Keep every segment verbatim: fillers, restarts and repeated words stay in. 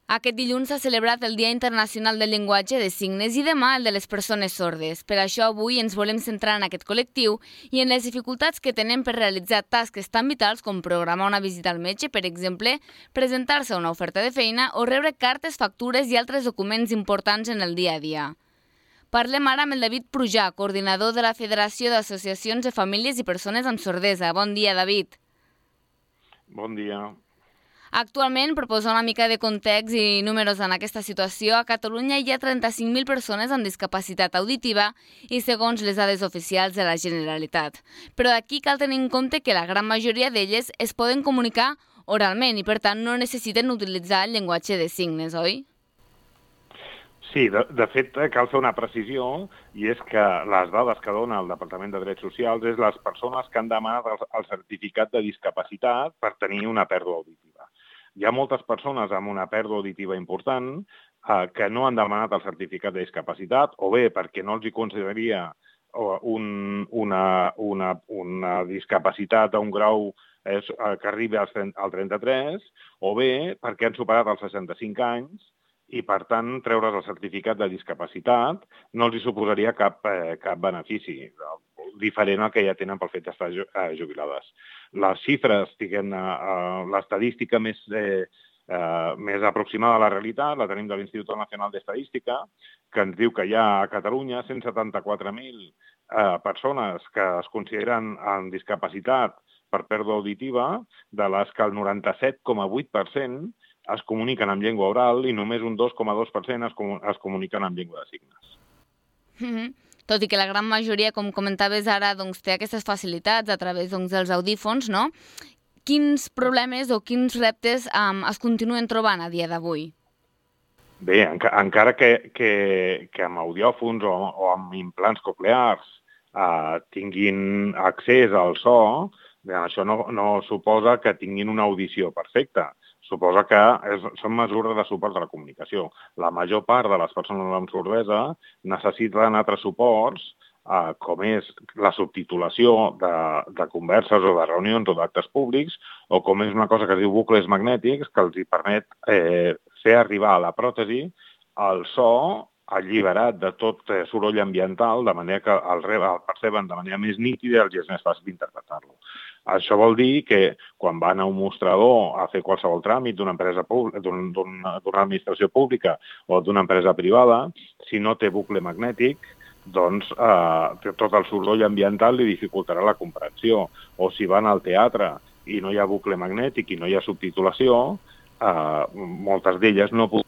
Aquest dilluns s'ha celebrat el Dia Internacional del Llenguatge de Signes i demà el de les persones sordes. Per això avui ens volem centrar en aquest col·lectiu i en les dificultats que tenen per realitzar tasques tan vitals com programar una visita al metge, per exemple, presentar-se a una oferta de feina o rebre cartes, factures i altres documents importants en el dia a dia. Parlem ara amb el David Prujà, coordinador de la Federació d'Associacions de Famílies i Persones amb Sordesa. Bon dia, David. Bon dia. Actualment, per posar una mica de context i números en aquesta situació, a Catalunya hi ha trenta-cinc mil persones amb discapacitat auditiva i segons les dades oficials de la Generalitat. Però aquí cal tenir en compte que la gran majoria d'elles es poden comunicar oralment i per tant no necessiten utilitzar el llenguatge de signes, oi? Sí, de, de fet, cal fer una precisió, i és que les dades que dona el Departament de Drets Socials és les persones que han demanat el, el certificat de discapacitat per tenir una pèrdua auditiva. Hi ha moltes persones amb una pèrdua auditiva important eh, que no han demanat el certificat de discapacitat, o bé perquè no els hi consideraria un, una, una, una discapacitat a un grau eh, que arribi al trenta-tres, o bé perquè han superat els seixanta-cinc anys, i, per tant, treure's el certificat de discapacitat no els hi suposaria cap, eh, cap benefici, diferent al que ja tenen pel fet d'estar jubilades. Les xifres, diguem, eh, l'estadística més, eh, eh, més aproximada a la realitat la tenim de l'Institut Nacional d'Estadística, que ens diu que hi ha a Catalunya cent setanta-quatre mil eh, persones que es consideren amb discapacitat per pèrdua auditiva, de les que el noranta-set coma vuit per cent es comuniquen en llengua oral i només un dos coma dos per cent es, com es comuniquen en llengua de signes. Mm-hmm. Tot i que la gran majoria, com comentaves ara, doncs, té aquestes facilitats a través doncs, dels audífons, no? Quins problemes o quins reptes um, es continuen trobant a dia d'avui? Bé, enca encara que, que, que amb audiòfons o, o amb implants coclears eh, tinguin accés al so, bé, això no, no suposa que tinguin una audició perfecta. Suposa que és, són mesures de suport a la comunicació. La major part de les persones amb sordesa necessiten altres suports, eh, com és la subtitulació de, de converses o de reunions o d'actes públics, o com és una cosa que es diu bucles magnètics, que els hi permet eh, fer arribar a la pròtesi el so alliberat de tot eh, soroll ambiental, de manera que el, el perceben de manera més nítida i els és més fàcil d'interpretar-lo. Això vol dir que quan van a un mostrador a fer qualsevol tràmit d'una empresa d'una administració pública o d'una empresa privada, si no té bucle magnètic, doncs eh, tot el soroll ambiental li dificultarà la comprensió. O si van al teatre i no hi ha bucle magnètic i no hi ha subtitulació, eh, moltes d'elles no poden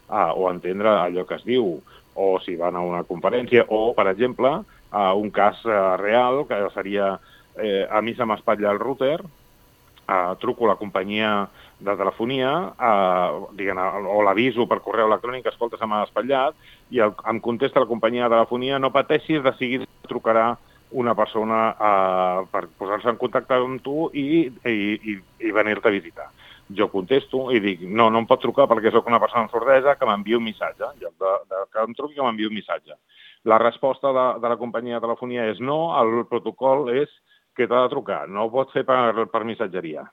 eh, o entendre allò que es diu, o si van a una conferència, o, per exemple, eh, un cas eh, real, que seria Eh, a mi se m'espatlla el router, eh, truco a la companyia de telefonia, eh, diguem, o l'aviso per correu electrònic, escolta, se m'ha espatllat, i el, em contesta la companyia de telefonia, no pateixis, de seguida trucarà una persona eh, per posar-se en contacte amb tu i, i, i, i venir-te a visitar. Jo contesto i dic, no, no em pot trucar perquè sóc una persona amb sordesa que m'envia un missatge, en lloc de, de que em truqui que m'envia un missatge. La resposta de, de la companyia de telefonia és no, el protocol és que t'ha de trucar, no ho pot fer per, per missatgeria.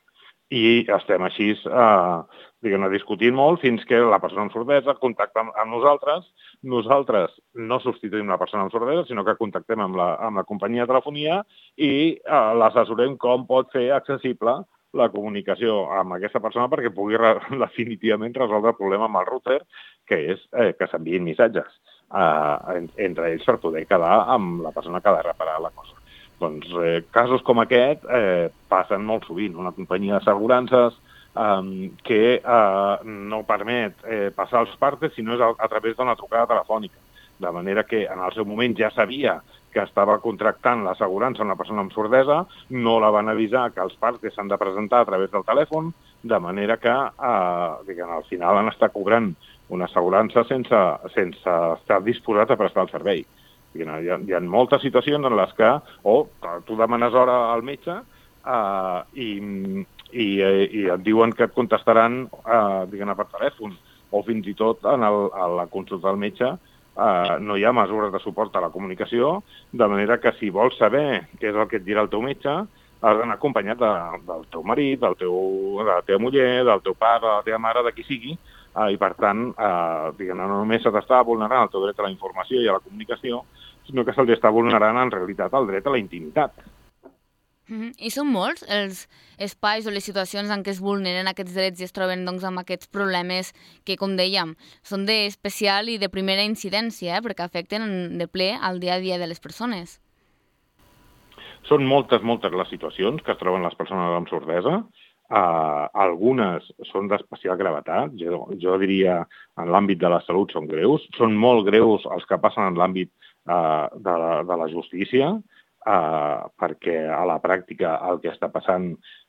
I estem així eh, diguem, discutint molt fins que la persona amb sordesa contacta amb, amb nosaltres. Nosaltres no substituïm la persona amb sordesa, sinó que contactem amb la, amb la companyia de telefonia i eh, l'assessorem com pot fer accessible la comunicació amb aquesta persona perquè pugui re definitivament resoldre el problema amb el router, que és eh, que s'enviïn missatges eh, entre ells per poder quedar amb la persona que ha de reparar la cosa. Doncs eh, casos com aquest eh, passen molt sovint. Una companyia d'assegurances eh, que eh, no permet eh, passar els partes si no és a, a través d'una trucada telefònica. De manera que en el seu moment ja sabia que estava contractant l'assegurança a una persona amb sordesa, no la van avisar que els partes s'han de presentar a través del telèfon, de manera que eh, diguem, al final han estat cobrant una assegurança sense, sense estar disposat a prestar el servei. Hi ha, hi ha moltes situacions en les que o tu demanes hora al metge eh, i, i, i et diuen que et contestaran eh, diguem, per telèfon, o fins i tot en el, a la consulta del metge eh, no hi ha mesures de suport a la comunicació, de manera que si vols saber què és el que et dirà el teu metge, has d'anar acompanyat de, del teu marit, del teu, de la teva muller, del teu pare, de la teva mare, de qui sigui, eh, i per tant, eh, diguem, no només se t'està vulnerant el teu dret a la informació i a la comunicació, sinó que se'ls està vulnerant en realitat el dret a la intimitat. Mm-hmm. I són molts els espais o les situacions en què es vulneren aquests drets i es troben doncs, amb aquests problemes que, com dèiem, són d'especial i de primera incidència, eh, perquè afecten de ple al dia a dia de les persones. Són moltes, moltes les situacions que es troben les persones amb sordesa. Uh, algunes són d'especial gravetat, jo, jo diria en l'àmbit de la salut són greus, són molt greus els que passen en l'àmbit uh, de, la, de la justícia, Uh, perquè a la pràctica el que està passant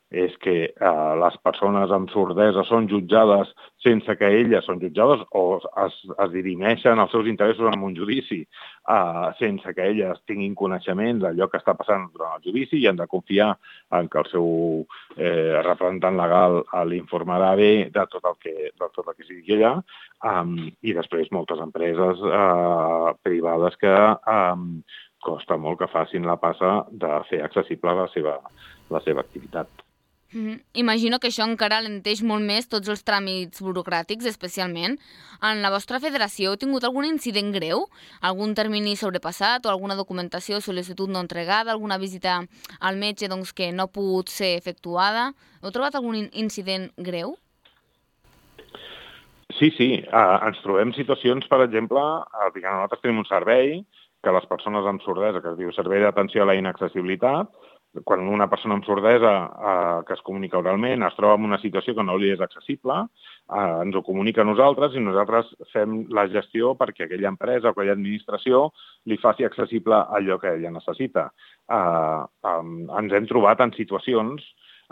és que uh, les persones amb sordesa són jutjades sense que elles són jutjades o es, es dirimeixen els seus interessos en un judici uh, sense que elles tinguin coneixement d'allò que està passant durant el judici i han de confiar en que el seu eh, representant legal uh, l'informarà bé de tot el que, de tot el que sigui allà, um, i després moltes empreses uh, privades que um, costa molt que facin la passa de fer accessible la seva, la seva activitat. Mm-hmm. Imagino que això encara alenteix molt més tots els tràmits burocràtics, especialment. En la vostra federació heu tingut algun incident greu? Algun termini sobrepassat o alguna documentació o sol·licitud no entregada? Alguna visita al metge doncs, que no ha pogut ser efectuada? Heu trobat algun incident greu? Sí, sí. Uh, ens trobem situacions, per exemple, uh, diguem, nosaltres tenim un servei que les persones amb sordesa, que es diu Servei d'Atenció a la Inaccessibilitat, quan una persona amb sordesa eh, que es comunica oralment es troba en una situació que no li és accessible, eh, ens ho comunica a nosaltres i nosaltres fem la gestió perquè aquella empresa o aquella administració li faci accessible allò que ella necessita. Eh, eh, ens hem trobat en situacions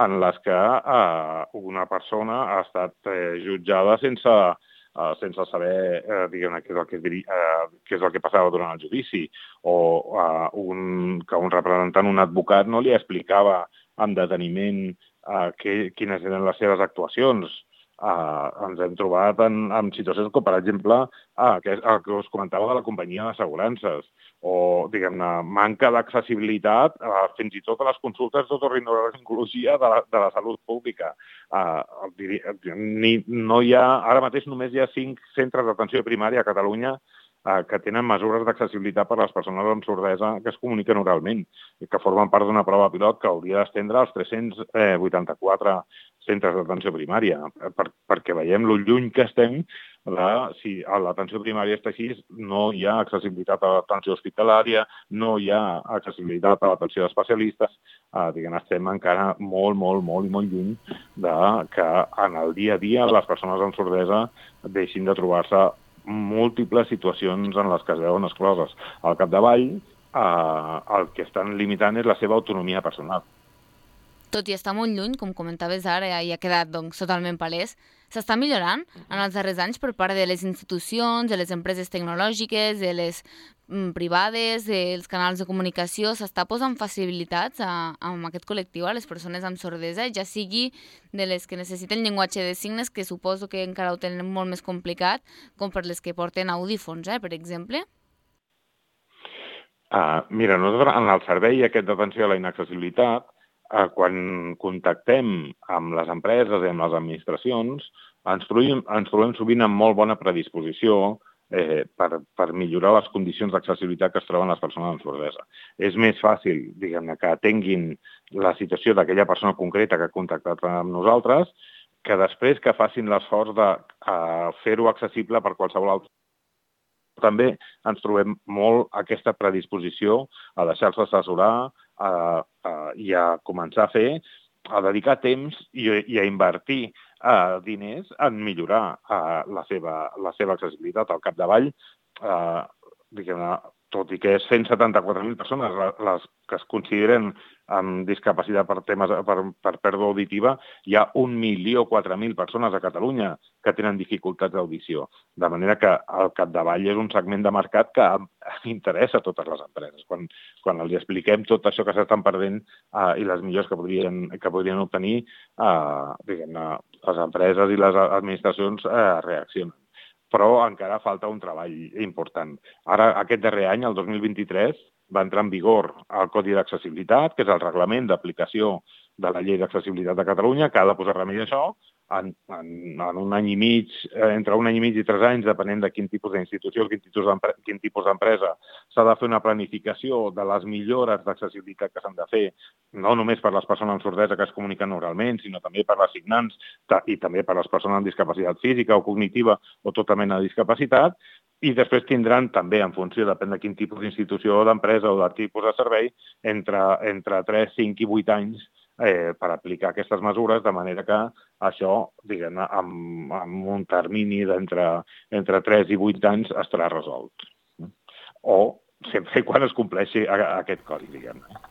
en les que eh, una persona ha estat eh, jutjada sense Uh, sense saber uh, diguem-ne què és el que, uh, què és el que passava durant el judici, o uh, un, que un representant, un advocat, no li explicava amb deteniment uh, que, quines eren les seves actuacions. Uh, ens hem trobat en, en situacions com, per exemple, uh, que, el que us comentava de la companyia d'assegurances, o, diguem-ne, manca d'accessibilitat uh, fins i tot a les consultes d'otorrinolaringologia de, la, de la salut pública. Uh, ni, no hi ha, ara mateix només hi ha cinc centres d'atenció primària a Catalunya uh, que tenen mesures d'accessibilitat per a les persones amb sordesa que es comuniquen oralment i que formen part d'una prova pilot que hauria d'estendre als tres-cents vuitanta-quatre centres d'atenció primària, per, perquè veiem lo lluny que estem de, si a l'atenció primària està així, no hi ha accessibilitat a l'atenció hospitalària, no hi ha accessibilitat a l'atenció d'especialistes, eh, diguem, estem encara molt, molt, molt i molt lluny de que en el dia a dia les persones amb sordesa deixin de trobar-se múltiples situacions en les que es veuen excloses. Al capdavall, eh, el que estan limitant és la seva autonomia personal. Tot i estar molt lluny, com comentaves ara, i ha quedat doncs, totalment palès, s'està millorant en els darrers anys per part de les institucions, de les empreses tecnològiques, de les mm, privades, dels canals de comunicació. S'està posant facilitats a, a aquest col·lectiu, a les persones amb sordesa, ja sigui de les que necessiten llenguatge de signes, que suposo que encara ho tenen molt més complicat, com per les que porten audífons, eh, per exemple. Uh, mira, nosaltres en el servei aquest d'atenció a la inaccessibilitat, Uh, quan contactem amb les empreses i amb les administracions, ens trobem, ens trobem sovint amb molt bona predisposició eh, per, per millorar les condicions d'accessibilitat que es troben les persones amb sordesa. És més fàcil, diguem-ne, que atenguin la situació d'aquella persona concreta que ha contactat amb nosaltres, que després que facin l'esforç de uh, fer-ho accessible per qualsevol altre. També ens trobem molt aquesta predisposició a deixar-se assessorar a, a, i a començar a fer, a dedicar temps i, i a invertir a, diners en millorar a, la, seva, la seva accessibilitat al capdavall. A, diguem-ne, tot i que és cent setanta-quatre mil persones les que es consideren amb discapacitat per temes per, per pèrdua auditiva, hi ha un milió quatre mil persones a Catalunya que tenen dificultats d'audició. De manera que el capdavall és un segment de mercat que interessa a totes les empreses. Quan, quan els expliquem tot això que s'estan perdent eh, i les millors que podrien, que podrien obtenir, eh, diguem-ne, les empreses i les administracions eh, reaccionen. Però encara falta un treball important. Ara, aquest darrer any, el dos mil vint-i-tres, va entrar en vigor el Codi d'Accessibilitat, que és el reglament d'aplicació de la Llei d'Accessibilitat de Catalunya, que ha de posar remei a això. En, en, en un any i mig, entre un any i mig i tres anys, depenent de quin tipus d'institució, quin tipus d'empresa, s'ha de fer una planificació de les millores d'accessibilitat que s'han de fer, no només per les persones amb sordesa que es comuniquen oralment, sinó també per les signants i també per les persones amb discapacitat física o cognitiva o tota mena de discapacitat, i després tindran també, en funció, depèn de quin tipus d'institució o d'empresa o de tipus de servei, entre, entre tres, cinc i vuit anys eh, per aplicar aquestes mesures, de manera que això, diguem-ne, amb, amb un termini d'entre entre tres i vuit anys estarà resolt. O sempre i quan es compleixi aquest codi, diguem-ne.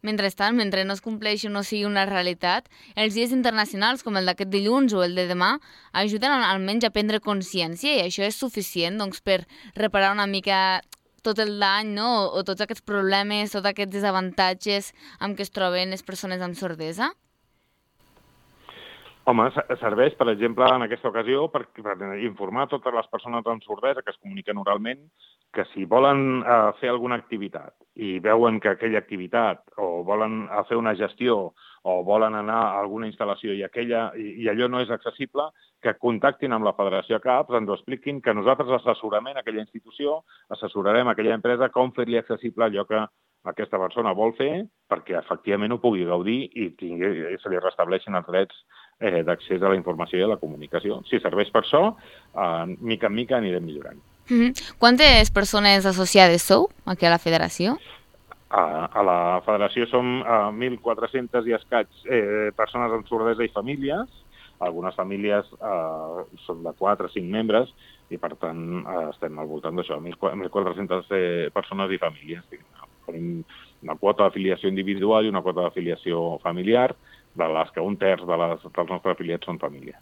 Mentrestant, mentre no es compleixi o no sigui una realitat, els dies internacionals, com el d'aquest dilluns o el de demà, ajuden almenys a prendre consciència, i això és suficient doncs, per reparar una mica tot el dany, no? O tots aquests problemes, tots aquests desavantatges amb què es troben les persones amb sordesa? Home, serveix, per exemple, en aquesta ocasió, per, per informar totes les persones amb sordesa que es comuniquen oralment que si volen eh, fer alguna activitat i veuen que aquella activitat o volen fer una gestió o volen anar a alguna instal·lació i, aquella, i, i allò no és accessible, que contactin amb la Federació A C A P S, ens ho expliquin, que nosaltres assessorament a aquella institució, assessorarem a aquella empresa com fer-li accessible allò que aquesta persona vol fer perquè efectivament ho pugui gaudir i, tingui, i se li restableixin els drets eh, d'accés a la informació i a la comunicació. Si serveix per això, eh, mica en mica anirem millorant. Mm-hmm. Quantes persones associades sou aquí a la federació? A, a la federació som uh, mil quatre-cents i escaig eh, persones amb sordesa i famílies. Algunes famílies uh, són de quatre o cinc membres i, per tant, uh, estem al voltant d'això, mil quatre-centes eh, persones i famílies. Tenim una quota d'afiliació individual i una quota d'afiliació familiar, de les que un terç de les, dels nostres afiliats són famílies.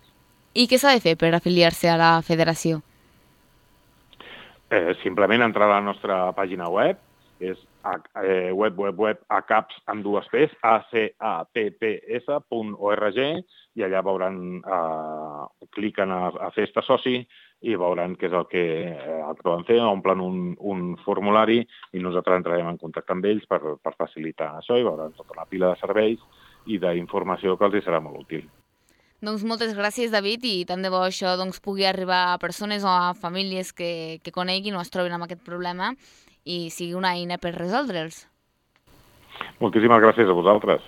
I què s'ha de fer per afiliar-se a la federació? Eh, simplement entrar a la nostra pàgina web, és eh, web, web, web, acaps amb dues P's, a c a p p s punt org, i allà veuran, eh, cliquen a, a fer este soci i veuran què és el que, eh, el que poden fer, omplen un, un formulari i nosaltres entrarem en contacte amb ells per, per facilitar això i veuran tota una pila de serveis i d'informació que els serà molt útil. Doncs moltes gràcies, David, i tant de bo això doncs, pugui arribar a persones o a famílies que, que coneguin o es trobin amb aquest problema i sigui una eina per resoldre'ls. Moltíssimes gràcies a vosaltres.